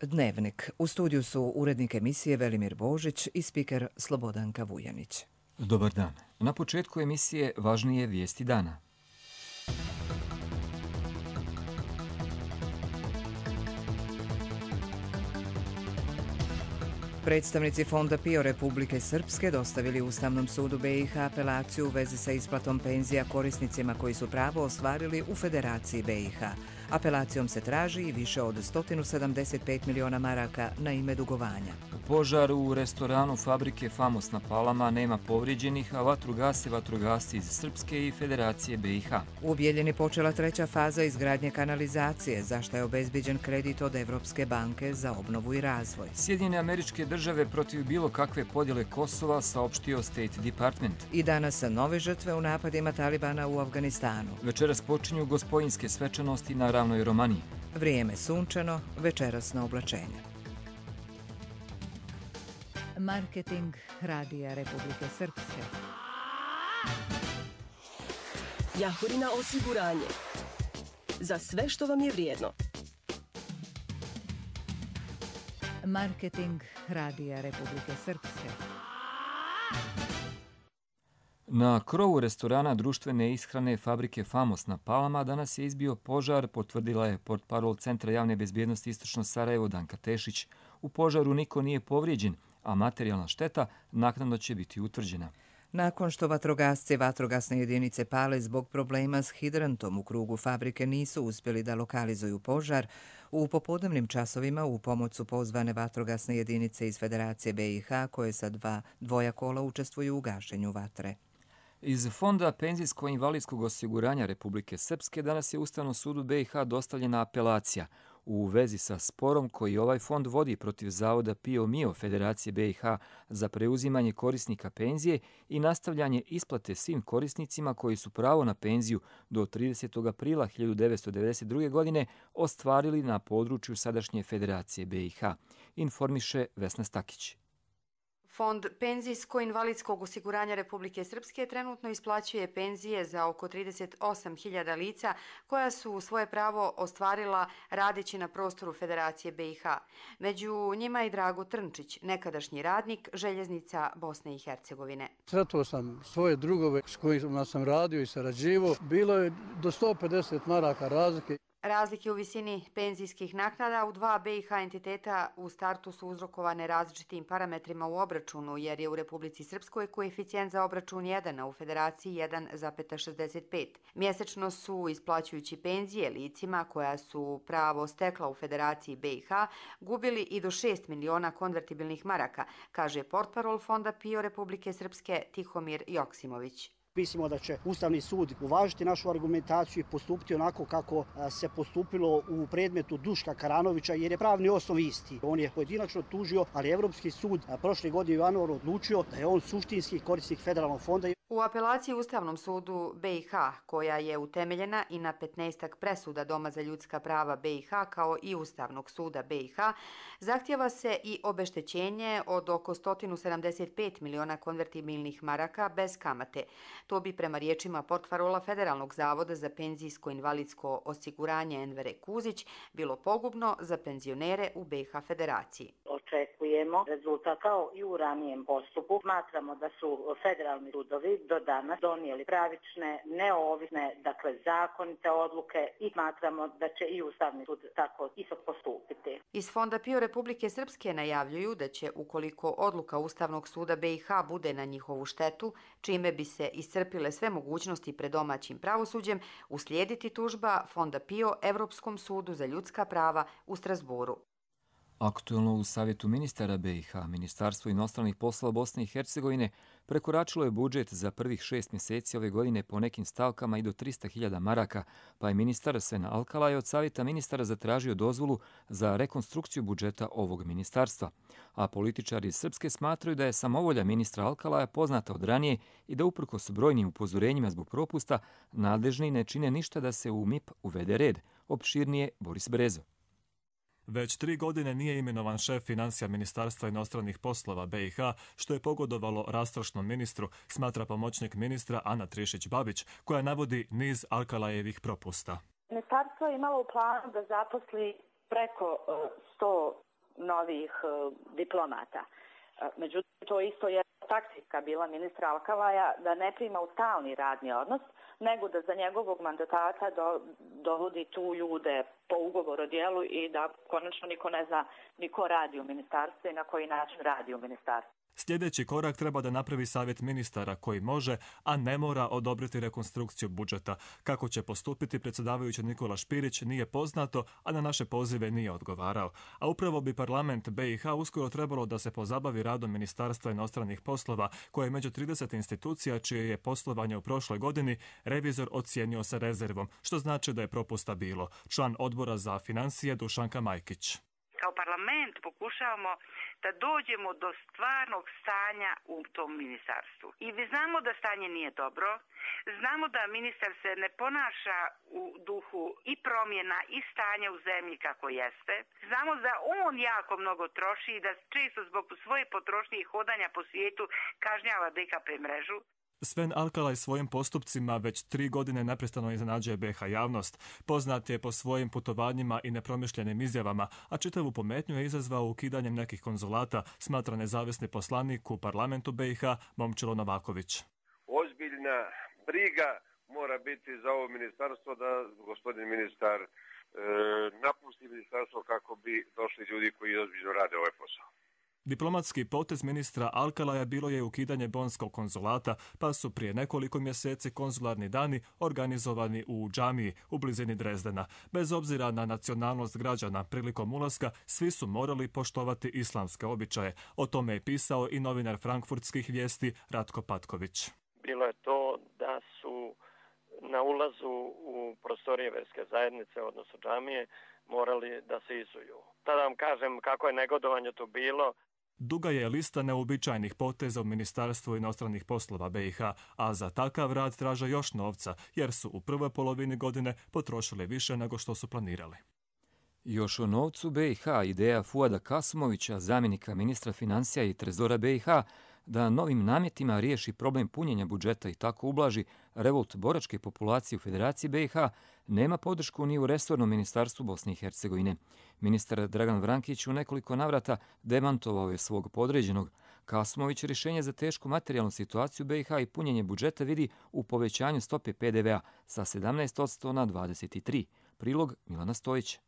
Dnevnik. U studiju su urednik emisije Velimir Božić i spiker Slobodanka Vujanić. Dobar dan. Na početku emisije važnije vijesti dana. Predstavnici Fonda PIO Republike Srpske dostavili Ustavnom sudu BiH apelaciju u vezi sa isplatom penzija korisnicima koji su pravo ostvarili u Federaciji BiH. Apelacijom se traži i više od 175 miliona maraka na ime dugovanja. Požar u restoranu fabrike Famos na Palama, nema povrijeđenih, a vatru gase vatrogasci iz Srpske i Federacije BiH. U Bijeljini počela treća faza izgradnje kanalizacije, za što je obezbiđen kredit od Evropske banke za obnovu i razvoj. Sjedinjene Američke Države protiv bilo kakve podjele Kosova, saopštio State Department. I danas nove žrtve u napadima Talibana u Afganistanu. Večeras počinju gospodinjske svečanosti na Ravnoj Romaniji. Vrijeme sunčano, večerasno oblačenje. Marketing Radija Republike Srpske. Jahorina osiguranje. Za sve što vam je vrijedno. Marketing Radija Republike Srpske. Na krovu restorana društvene ishrane fabrike Famos na Palama danas je izbio požar, potvrdila je portparol Centra javne bezbjednosti Istočno Sarajevo Danka Tešić. U požaru niko nije povrijeđen, a materijalna šteta naknadno će biti utvrđena. Nakon što vatrogasci vatrogasne jedinice Pale zbog problema s hidrantom u krugu fabrike nisu uspjeli da lokalizuju požar, u popodnevnim časovima u pomoć su pozvane vatrogasne jedinice iz Federacije BiH koje sa dvoja kola učestvuju u gašenju vatre. Iz Fonda penzijsko-invalidskog osiguranja Republike Srpske danas je Ustavnom sudu BiH dostavljena apelacija u vezi sa sporom koji ovaj fond vodi protiv zavoda PIO MIO Federacije BiH za preuzimanje korisnika penzije i nastavljanje isplate svim korisnicima koji su pravo na penziju do 30. aprila 1992. godine ostvarili na području sadašnje Federacije BiH, informiše Vesna Stakić. Fond penzijsko-invalidskog osiguranja Republike Srpske trenutno isplaćuje penzije za oko 38.000 lica koja su svoje pravo ostvarila radeći na prostoru Federacije BiH. Među njima i Drago Trnčić, nekadašnji radnik Željeznica Bosne i Hercegovine. Sretao sam svoje drugove s kojima sam radio i sarađivao. Bilo je do 150 maraka razlike. Razlike u visini penzijskih naknada u dva BiH entiteta u startu su uzrokovane različitim parametrima u obračunu, jer je u Republici Srpskoj koeficijent za obračun 1, a u Federaciji 1,65. Mjesečno su, isplaćujući penzije licima koja su pravo stekla u Federaciji BiH, gubili i do 6 miliona konvertibilnih maraka, kaže portparol Fonda PIO Republike Srpske Tihomir Joksimović. Mislimo da će Ustavni sud uvažiti našu argumentaciju i postupiti onako kako se postupilo u predmetu Duška Karanovića, jer je pravni osnov isti. On je pojedinačno tužio, ali Evropski sud prošle godine u januaru odlučio da je on suštinski korisnik federalnog fonda. U apelaciji Ustavnom sudu BiH, koja je utemeljena i na 15 presuda Doma za ljudska prava BiH kao i Ustavnog suda BiH, zahtjeva se i obeštećenje od oko 175 miliona konvertibilnih maraka bez kamate. To bi prema riječima portparola Federalnog zavoda za penzijsko-invalidsko osiguranje Envere Kuzić bilo pogubno za penzionere u BiH Federaciji. Očekujemo rezultat kao i u ranijem postupku. Smatramo da su federalni sudovi do danas donijeli pravične, neovisne, zakonite odluke i smatramo da će i Ustavni sud tako isto postupiti. Iz Fonda PIO Republike Srpske najavljuju da će, ukoliko odluka Ustavnog suda BiH bude na njihovu štetu, čime bi se iscrpile sve mogućnosti pred domaćim pravosuđem, uslijediti tužba Fonda PIO Evropskom sudu za ljudska prava u Strasboru. Aktuelno u Savjetu ministara BiH, Ministarstvo inostranih poslova Bosne i Hercegovine prekoračilo je budžet za prvih 6 mjeseci ove godine po nekim stavkama i do 300.000 maraka, pa je ministar Sven Alkalaj od Savjeta ministara zatražio dozvolu za rekonstrukciju budžeta ovog ministarstva. A političari iz Srpske smatraju da je samovolja ministra Alkalaja poznata od ranije i da uprkos brojnim upozorenjima zbog propusta, nadležni ne čine ništa da se u MIP uvede red. Opširnije Boris Brezo. Već 3 godine nije imenovan šef financija Ministarstva inostranih poslova BiH, što je pogodovalo rastrošnom ministru, smatra pomoćnik ministra Ana Trišić-Babić, koja navodi niz Alkalajevih propusta. Ministarstvo je imalo u planu da zaposli preko 100 novih diplomata. Međutim, to isto je taktika bila ministra Alkalaja da ne prima u stalni radni odnos, nego da za njegovog mandatata dovodi tu ljude po ugovoru o djelu i da konačno niko ne zna ni ko radi u ministarstvu i na koji način radi u ministarstvu. Sljedeći korak treba da napravi savjet ministara koji može, a ne mora odobriti rekonstrukciju budžeta. Kako će postupiti predsjedavajući Nikola Špirić nije poznato, a na naše pozive nije odgovarao. A upravo bi parlament BiH uskoro trebalo da se pozabavi radom Ministarstva inostranih poslova, koje je među 30 institucija čije je poslovanje u prošloj godini revizor ocijenio sa rezervom, što znači da je propusta bilo. Član odbora za financije Dušanka Majkić. Kao parlament pokušavamo da dođemo do stvarnog stanja u tom ministarstvu. I znamo da stanje nije dobro, znamo da ministar se ne ponaša u duhu i promjena i stanja u zemlji kako jeste. Znamo da on jako mnogo troši i da često zbog svoje potrošnje i hodanja po svijetu kažnjava DKP mrežu. Sven Alkalaj svojim postupcima već 3 godine neprestano iznenađuje BiH javnost. Poznat je po svojim putovanjima i nepromišljenim izjavama, a čitavu pometnju je izazvao ukidanjem nekih konzulata, smatra nezavisni poslanik u parlamentu BiH Momčilo Novaković. Ozbiljna briga mora biti za ovo ministarstvo da gospodin ministar napusti ministarstvo kako bi došli ljudi koji ozbiljno rade ovaj posao. Diplomatski potez ministra Alkalaja bilo je ukidanje bonskog konzulata, pa su prije nekoliko mjeseci konzularni dani organizovani u džamiji u blizini Drezdena. Bez obzira na nacionalnost građana, prilikom ulaska svi su morali poštovati islamske običaje. O tome je pisao i novinar frankfurtskih vijesti Ratko Patković. Bilo je to da su na ulazu u prostorije verske zajednice, odnosno džamije, morali da se izuju. Tada vam kažem kako je negodovanje to bilo. Duga je lista neobičajnih poteza u Ministarstvu inostranih poslova BiH, a za takav rad traže još novca, jer su u prvoj polovini godine potrošili više nego što su planirali. Još o novcu BiH ideja Fuada Kasumovića, zamjenika ministra financija i trezora BiH, da novim namjetima riješi problem punjenja budžeta i tako ublaži revolt boračke populacije u Federaciji BiH, nema podršku ni u resornom ministarstvu Bosne i Hercegovine. Ministar Dragan Vrankić u nekoliko navrata demantovao je svog podređenog. Kasumović rješenje za tešku materijalnu situaciju BiH i punjenje budžeta vidi u povećanju stope PDV-a sa 17% na 23%. Prilog Milana Stojića.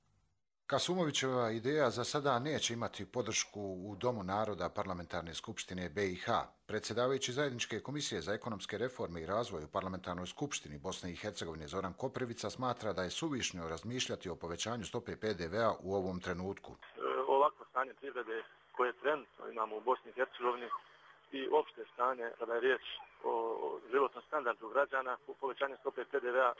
Kasumovićeva ideja za sada neće imati podršku u Domu naroda Parlamentarne skupštine BiH. Predsjedavajući zajedničke komisije za ekonomske reforme i razvoj u Parlamentarnoj skupštini Bosne i Hercegovine Zoran Koprivica smatra da je suvišno razmišljati o povećanju stope PDV-a u ovom trenutku. Ovakvo stanje privrede koje trenutno imamo u Bosni i Hercegovini i opšte stanje kada je riječ o životnom standardu građana, u povećanju stope PDV-a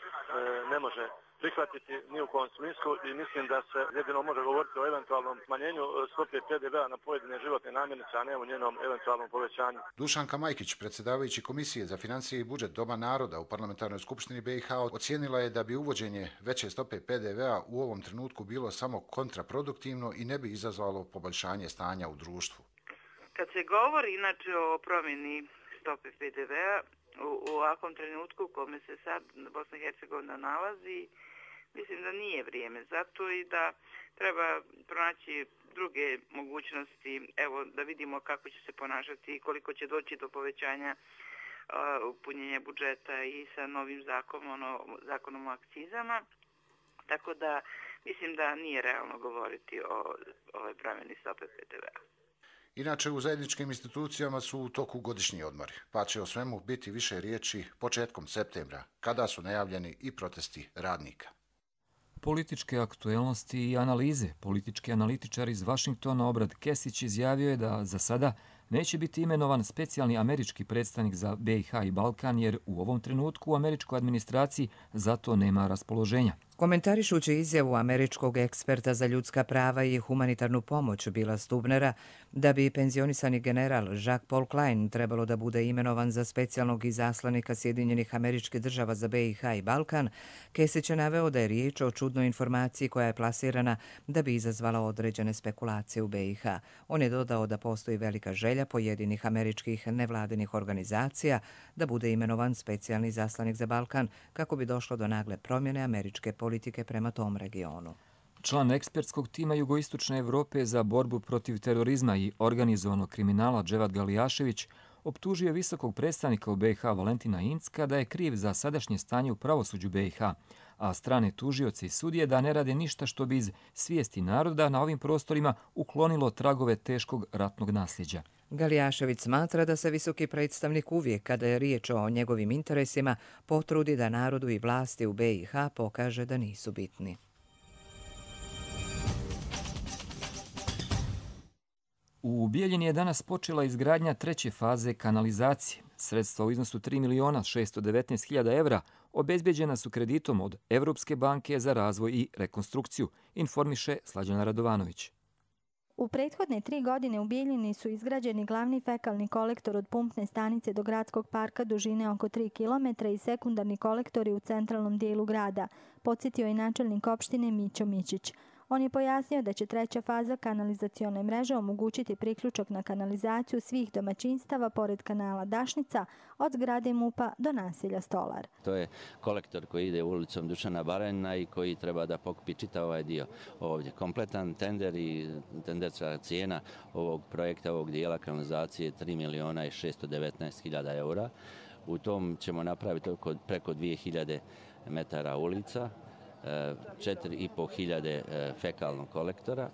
ne može prihvatiti ni u kom smislu i mislim da se jedino može govoriti o eventualnom smanjenju stope PDV-a na pojedine životne namirnice, a ne o njenom eventualnom povećanju. Dušanka Majkić, predsjedavajući Komisije za financije i budžet Doma naroda u Parlamentarnoj skupštini BiH, ocijenila je da bi uvođenje veće stope PDV-a u ovom trenutku bilo samo kontraproduktivno i ne bi izazvalo poboljšanje stanja u društvu. Kad se govori inače o promjeni stope PDV-a u ovakvom trenutku u kome se sad Bosna i Hercegovina nalazi, mislim da nije vrijeme za to i da treba pronaći druge mogućnosti, evo da vidimo kako će se ponašati i koliko će doći do povećanja punjenja budžeta i sa novim zakonom o akcizama. Tako da mislim da nije realno govoriti o ovoj promjeni stope PDV-a. Inače, u zajedničkim institucijama su u toku godišnji odmori, pa će o svemu biti više riječi početkom septembra, kada su najavljeni i protesti radnika. Političke aktuelnosti i analize. Politički analitičar iz Vašingtona Obrad Kesić izjavio je da za sada neće biti imenovan specijalni američki predstavnik za BiH i Balkan, jer u ovom trenutku u američkoj administraciji za to nema raspoloženja. Komentarišući izjavu američkog eksperta za ljudska prava i humanitarnu pomoć Billa Stubnera da bi penzionisani general Jacques Paul Klein trebalo da bude imenovan za specijalnog izaslanika Sjedinjenih Američkih Država za BiH i Balkan, Kesić je naveo da je riječ o čudnoj informaciji koja je plasirana da bi izazvala određene spekulacije u BiH. On je dodao da postoji velika želja pojedinih američkih nevladinih organizacija da bude imenovan specijalni izaslanik za Balkan kako bi došlo do nagle promjene američke politike prema tom regionu. Član ekspertskog tima Jugoistočne Evrope za borbu protiv terorizma i organizovanog kriminala Dževad Galijašević optužio visokog predstavnika u BiH Valentina Incka da je kriv za sadašnje stanje u pravosuđu BiH, a strane tužioce i sudije da ne rade ništa što bi iz svijesti naroda na ovim prostorima uklonilo tragove teškog ratnog nasljeđa. Galijašević smatra da se visoki predstavnik uvijek, kada je riječ o njegovim interesima, potrudi da narodu i vlasti u BiH pokaže da nisu bitni. U Bijeljini je danas počela izgradnja treće faze kanalizacije. Sredstva u iznosu 3.619.000 evra obezbeđena su kreditom od Evropske banke za razvoj i rekonstrukciju, informiše Slađana Radovanović. U prethodne 3 godine u Bijeljini su izgrađeni glavni fekalni kolektor od pumpne stanice do gradskog parka dužine oko 3 km i sekundarni kolektori u centralnom dijelu grada, podsjetio je načelnik opštine Mićo Mićić. On je pojasnio da će treća faza kanalizacione mreže omogućiti priključak na kanalizaciju svih domaćinstava pored kanala Dašnica od zgrade MUP-a do naselja Stolar. To je kolektor koji ide ulicom Dušana Baranjina i koji treba da pokupi čitav ovaj dio ovdje. Kompletan tender i tenderska cijena ovog projekta, ovog dijela kanalizacije 3.619.000 eura. U tom ćemo napraviti preko 2.000 metara ulica, 4.500 fekalnog kolektora,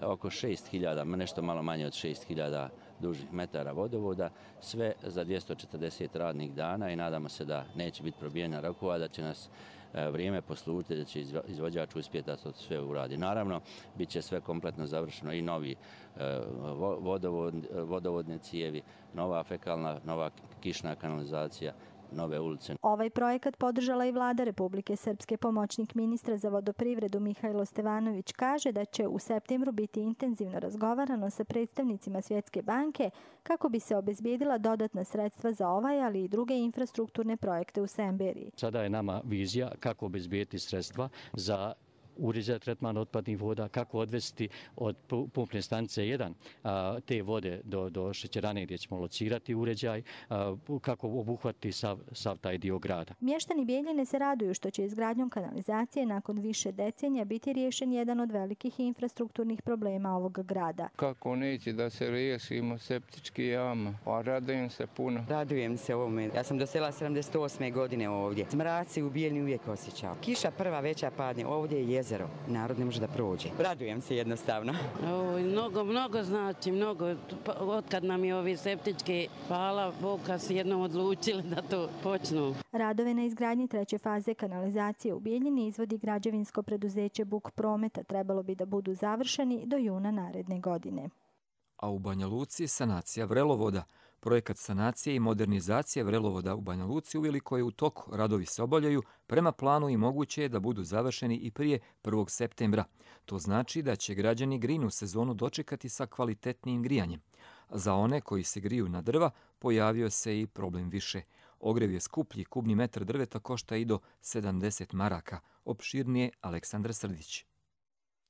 oko 6.000, nešto malo manje od 6.000 dužih metara vodovoda, sve za 240 radnih dana i nadamo se da neće biti probijena rokova, da će nas vrijeme poslužiti, da će izvođač uspjeti da to sve uradi. Naravno, bit će sve kompletno završeno i novi vodovodne cijevi, nova fekalna, nova kišna kanalizacija, nove ulice. Ovaj projekat podržala i vlada Republike Srpske. Pomoćnik ministra za vodoprivredu Mihajlo Stevanović kaže da će u septembru biti intenzivno razgovarano sa predstavnicima Svjetske banke kako bi se obezbijedila dodatna sredstva za ovaj, ali i druge infrastrukturne projekte u Semberiji. Sada je nama vizija kako obezbijeti sredstva za uređaj tretman otpadnih voda, kako odvesti od pumpne stanice 1 te vode do šećerane gdje ćemo locirati uređaj, kako obuhvatiti sav taj dio grada. Mještani Bijeljine se raduju što će izgradnjom kanalizacije nakon više decenija biti riješen jedan od velikih infrastrukturnih problema ovog grada. Kako neće da se riješimo septički jama, a radujem se puno. Radujem se ovome. Ja sam dosela 78. godine ovdje. Smraci u Bijeljini uvijek osjećao. Kiša prva veća padne, ovdje je jezero. Narod ne može da prođe. Radujem se jednostavno. Mnogo znači, mnogo. Otkad nam je ovi septički, hvala Bog, kad su jednom odlučili da to počnu. Radove na izgradnji treće faze kanalizacije u Bijeljini izvodi građevinsko preduzeće Buk Prometa. Trebalo bi da budu završeni do juna naredne godine. A u Banja Luci sanacija vrelovoda. Projekat sanacije i modernizacije vrelovoda u Banja Luci uveliko je u toku. Radovi se obavljaju prema planu i moguće je da budu završeni i prije 1. septembra. To znači da će građani grejnu sezonu dočekati sa kvalitetnijim grijanjem. Za one koji se griju na drva pojavio se i problem više. Ogrev je skuplji, kubni metar drveta košta i do 70 maraka. Opširnije Aleksandra Srdić.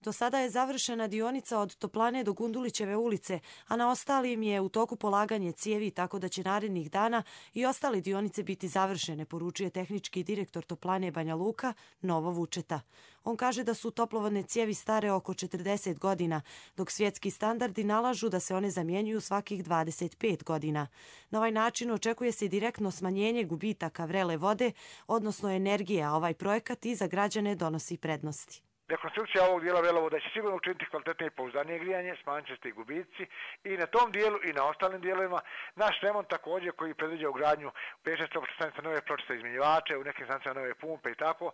Do sada je završena dionica od Toplane do Gundulićeve ulice, a na ostalim je u toku polaganje cijevi, tako da će narednih dana i ostale dionice biti završene, poručuje tehnički direktor Toplane Banja Luka Novo Vučeta. On kaže da su toplovodne cijevi stare oko 40 godina, dok svjetski standardi nalažu da se one zamjenjuju svakih 25 godina. Na ovaj način očekuje se direktno smanjenje gubitaka vrele vode, odnosno energije, a ovaj projekat i za građane donosi prednosti. Rekonstrukcija ovog dijela vrelovoda će sigurno učiniti kvalitetnije i pouzdanije grijanje, smanjit će se i gubici i na tom dijelu i na ostalim dijelovima. Naš remont također koji predviđa ugradnju 5-6 stanica nove pločice izmjenjivače, u nekim stanicama nove pumpe i tako,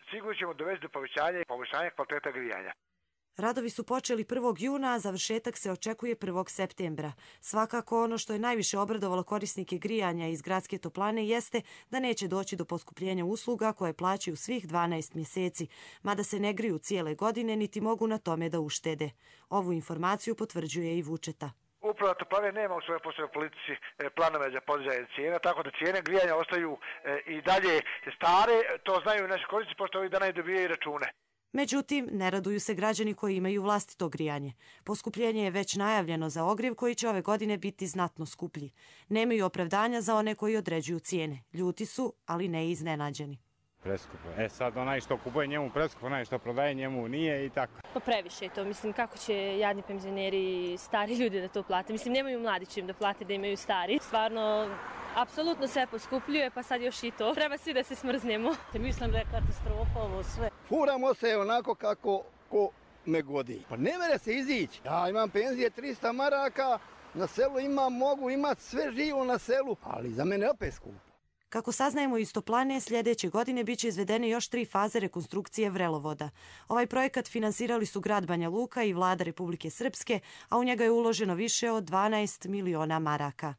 sigurno ćemo dovesti do povećanja i poboljšanja kvaliteta grijanja. Radovi su počeli 1. juna, a završetak se očekuje 1. septembra. Svakako ono što je najviše obradovalo korisnike grijanja iz gradske toplane jeste da neće doći do poskupljenja usluga koje plaćaju svih 12 mjeseci, mada se ne griju cijele godine niti mogu na tome da uštede. Ovu informaciju potvrđuje i Vučeta. Uprava Toplane nema u svojoj poslovnoj politici planove za podizanje cijena, tako da cijene grijanja ostaju i dalje stare. To znaju i naši korisnici, pošto ovih dana i dobijaju račune. Međutim, ne raduju se građani koji imaju vlastito grijanje. Poskupljenje je već najavljeno za ogrjev koji će ove godine biti znatno skuplji. Nemaju opravdanja za one koji određuju cijene. Ljuti su, ali ne iznenađeni. Preskupo. Sad onaj što kupuje njemu preskupo, onaj što prodaje njemu nije i tako. Pa previše je to. Mislim, kako će jadni penzioneri i stari ljudi da to plate? Mislim, nemaju mladići im da plate, da imaju stari. Stvarno, apsolutno sve poskupljuje, pa sad još i to. Treba svi da se smrznemo. Mislim da je katastrofa ovo sve. Furamo se onako kako ko me godi. Pa ne mere se izići. Ja imam penzije 300 maraka, na selu mogu imati sve živo na selu, ali za mene opet skupo. Kako saznajemo iz Toplane, sljedeće godine biće izvedene još 3 faze rekonstrukcije vrelovoda. Ovaj projekat finansirali su grad Banja Luka i vlada Republike Srpske, a u njega je uloženo više od 12 miliona maraka.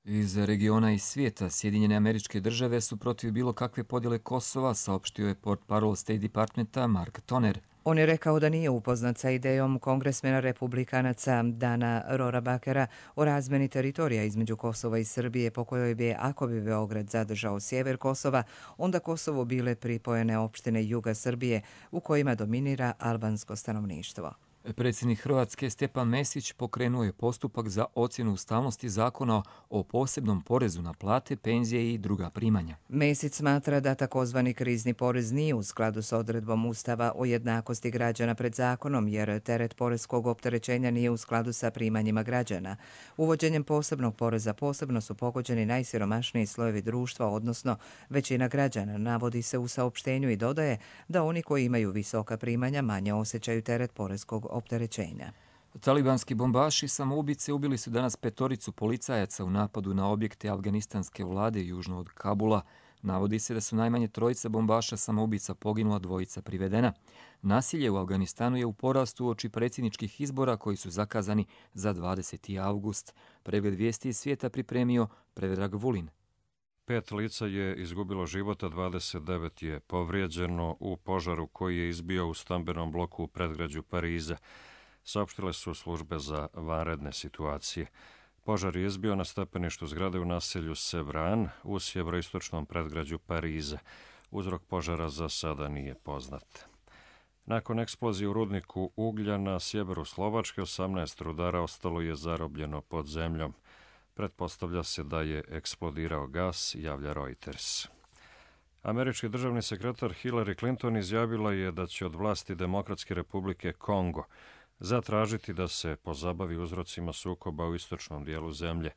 Iz regiona i svijeta Sjedinjene Američke Države su protiv bilo kakve podjele Kosova, saopštio je portparol State Departmenta Mark Toner. On je rekao da nije upoznat sa idejom kongresmena republikanaca Dana Rorabakera o razmeni teritorija između Kosova i Srbije, po kojoj bi, ako bi Beograd zadržao sjever Kosova, onda Kosovo bile pripojene opštine juga Srbije u kojima dominira albansko stanovništvo. Predsjednik Hrvatske Stjepan Mesić pokrenuo je postupak za ocjenu ustavnosti zakona o posebnom porezu na plate, penzije i druga primanja. Mesić smatra da takozvani krizni porez nije u skladu s odredbom Ustava o jednakosti građana pred zakonom, jer teret poreskog opterećenja nije u skladu sa primanjima građana. Uvođenjem posebnog poreza posebno su pogođeni najsiromašniji slojevi društva, odnosno većina građana, navodi se u saopštenju i dodaje da oni koji imaju visoka primanja manje osjećaju teret poreskog opterećenja. Talibanski bombaši samoubice ubili su danas 5 policajaca u napadu na objekte afganistanske vlade južno od Kabula. Navodi se da su najmanje 3 bombaša samoubica poginula, 2 privedena. Nasilje u Afganistanu je u porastu uoči predsjedničkih izbora koji su zakazani za 20. avgust. Pregled vijesti iz svijeta pripremio Predrag Vulin. 5 lica je izgubilo života, 29 je povrijeđeno u požaru koji je izbio u stambenom bloku u predgrađu Pariza. Saopštile su službe za vanredne situacije. Požar je izbio na stepeništu zgrade u naselju Sevran u sjeveroistočnom predgrađu Pariza. Uzrok požara za sada nije poznat. Nakon eksplozije u rudniku uglja na sjeveru Slovačke, 18 rudara ostalo je zarobljeno pod zemljom. Pretpostavlja se da je eksplodirao gas, javlja Reuters. Američki državni sekretar Hillary Clinton izjavila je da će od vlasti Demokratske republike Kongo zatražiti da se pozabavi uzrocima sukoba u istočnom dijelu zemlje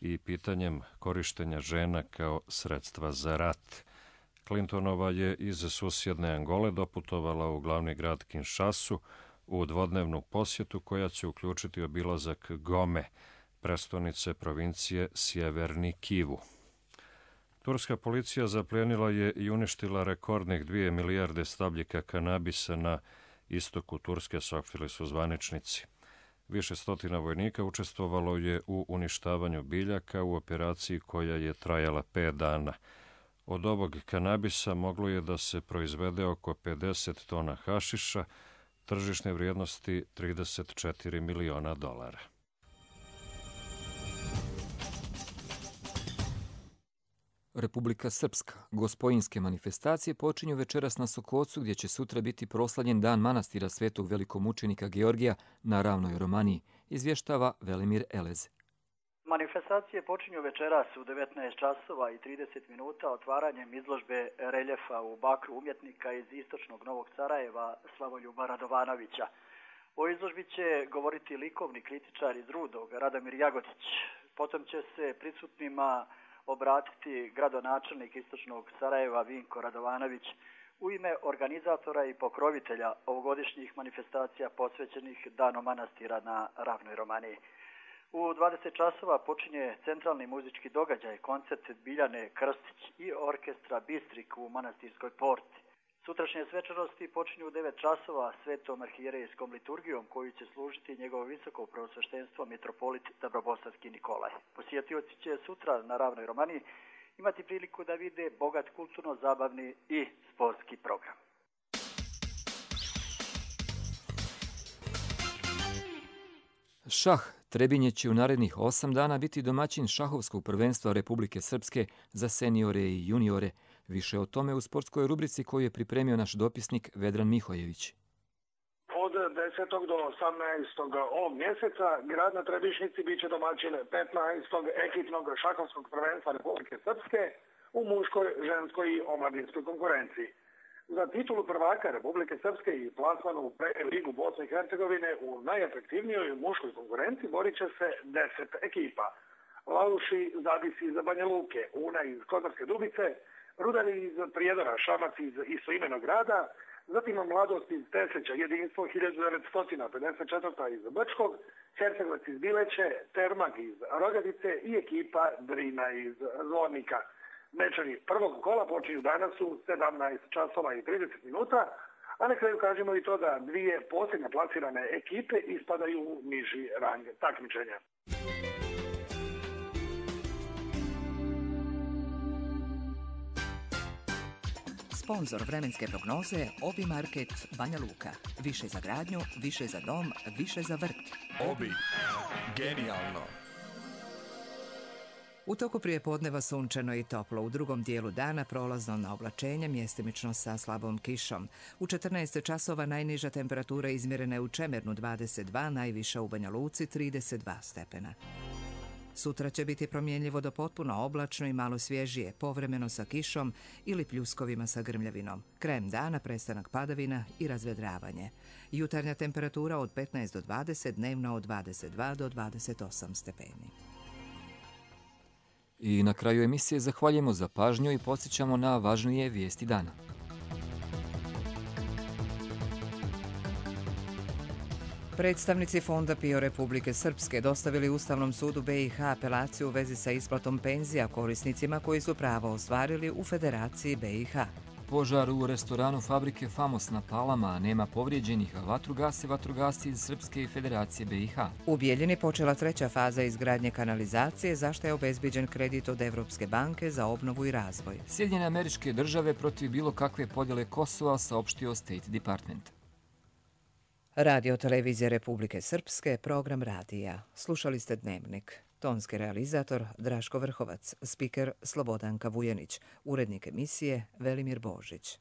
i pitanjem korištenja žena kao sredstva za rat. Clintonova je iz susjedne Angole doputovala u glavni grad Kinshasu u dvodnevnu posjetu koja će uključiti obilazak Gome, prestonice provincije Sjeverni Kivu. Turska policija zaplijenila je i uništila rekordnih 2 milijarde stabljika kanabisa na istoku Turske, saopštili su zvaničnici. Više stotina vojnika učestvovalo je u uništavanju biljaka u operaciji koja je trajala 5 dana. Od ovog kanabisa moglo je da se proizvede oko 50 tona hašiša, tržišne vrijednosti $34 miliona. Republika Srpska. Gospojinske manifestacije počinju večeras na Sokocu, gdje će sutra biti proslavljen dan manastira svetog velikomučenika Georgija na Ravnoj Romaniji, izvještava Velimir Elez. Manifestacije počinju večeras u 19 časova i 30 minuta otvaranjem izložbe reljefa u bakru umjetnika iz istočnog Novog Sarajeva Slavoljuba Radovanovića. O izložbi će govoriti likovni kritičar iz Rudog Radomir Jagodić. Potom će se prisutnima obratiti gradonačelnik istočnog Sarajeva Vinko Radovanović u ime organizatora i pokrovitelja ovogodišnjih manifestacija posvećenih Danom manastira na Ravnoj Romaniji. U 20 časova počinje centralni muzički događaj, koncert Biljane Krstić i orkestra Bistrik u manastirskoj porti. Sutrašnje svečanosti počinju u 9 časova svetom arhijerejskom liturgijom koju će služiti njegovo visoko preosveštenstvo mitropolit Dabrobosanski Nikolaj. Posjetioci će sutra na Ravnoj Romaniji imati priliku da vide bogat kulturno-zabavni i sportski program. Šah. Trebinje će u narednih 8 dana biti domaćin šahovskog prvenstva Republike Srpske za seniore i juniore. Više o tome u sportskoj rubrici koju je pripremio naš dopisnik Vedran Mihojević. Od 10. do 18. ovog mjeseca grad na Trebišnjici bit će domaćin 15. ekipnog šahovskog prvenstva Republike Srpske u muškoj, ženskoj i omladinskoj konkurenciji. Za titulu prvaka Republike Srpske i plasman u ligu Bosne i Hercegovine u najatraktivnijoj muškoj konkurenciji borit će se 10 ekipa. Lauši Zadisi iz Banja Luke, Una iz Kozarske Dubice, Rudari iz Prijedora, Šamac iz istoimenog grada, zatim Mladost iz Teslića, Jedinstvo 1954. iz Brčkog, Hercegovac iz Bileće, Termag iz Rogadice i ekipa Drina iz Zvornika. Mečevi prvog kola počinju danas u 17 časova i 30 minuta, a na kraju kažemo i to da dvije posljednje plasirane ekipe ispadaju u niži rang takmičenja. Sponzor vremenske prognoze Obi Market Banja Luka. Više za gradnju, više za dom, više za vrt. Obi. Genijalno. U toku prijepodneva sunčano i toplo, u drugom dijelu dana prolazno na oblačenje, mjestimično sa slabom kišom. U 14 časova najniža temperatura izmjerena je u Čemernu 22, najviša u Banja Luci 32 stepena. Sutra će biti promjenljivo do potpuno oblačno i malo svježije, povremeno sa kišom ili pljuskovima sa grmljavinom. Krajem dana prestanak padavina i razvedravanje. Jutarnja temperatura od 15 do 20, dnevno od 22 do 28 stepeni. I na kraju emisije zahvaljujemo za pažnju i podsjećamo na važnije vijesti dana. Predstavnici Fonda PIO Republike Srpske dostavili Ustavnom sudu BiH apelaciju u vezi sa isplatom penzija korisnicima koji su pravo ostvarili u Federaciji BiH. Požar u restoranu fabrike Famos na Palama, nema povrijeđenih, a vatru gase vatrogasci iz Srpske i Federacije BiH. U Bijeljini počela treća faza izgradnje kanalizacije, za što je obezbiđen kredit od Evropske banke za obnovu i razvoj. Sjedinjene Američke Države protiv bilo kakve podjele Kosova, saopštio State Department. Radio Televizija Republike Srpske, program radija. Slušali ste Dnevnik. Tonski realizator Draško Vrhovac, spiker Slobodanka Vujanić, urednik emisije Velimir Božić.